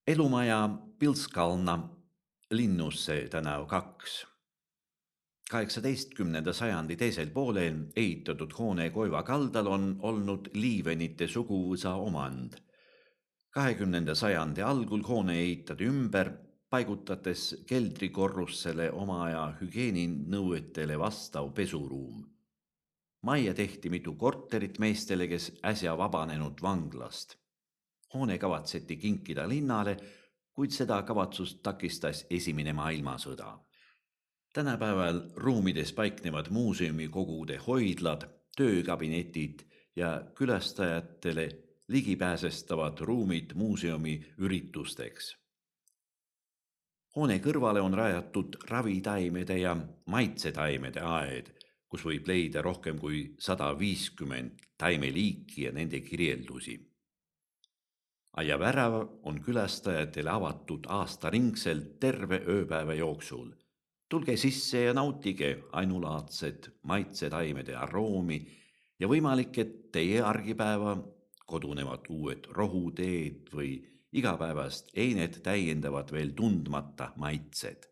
Elumaja Pilskalna Linnusse tänav 2. 18. sajandi teisel poolel ehitatud hoone Koiva kaldal on olnud Liivenite suguvõsa omand. 20. sajandi algul hoone ehitati ümber, paigutades keldrikorrussele oma aja hügieeninõuetele vastav pesuruum. Majja tehti mitu korterit meestele, kes äsja vabanenud vanglast. Hoone kavatseti kinkida linnale, kuid seda kavatsust takistas Esimene maailmasõda. Tänapäeval ruumides paiknevad muuseumikogude hoidlad, töökabinetid ja külastajatele ligipääsestavad ruumid muuseumi üritusteks. Hoone kõrvale on rajatud ravitaimede ja maitsetaimede aed, kus võib leida rohkem kui 150 taimeliiki ja nende kirjeldusi. Aiavärav on külastajatele avatud aastaringselt terve ööpäeva jooksul. Tulge sisse ja nautige ainulaadsed maitsetaimede aroomi ja võimalik, et teie argipäeva kodunevad uued rohuteed või igapäevast einet täiendavad veel tundmata maitsed.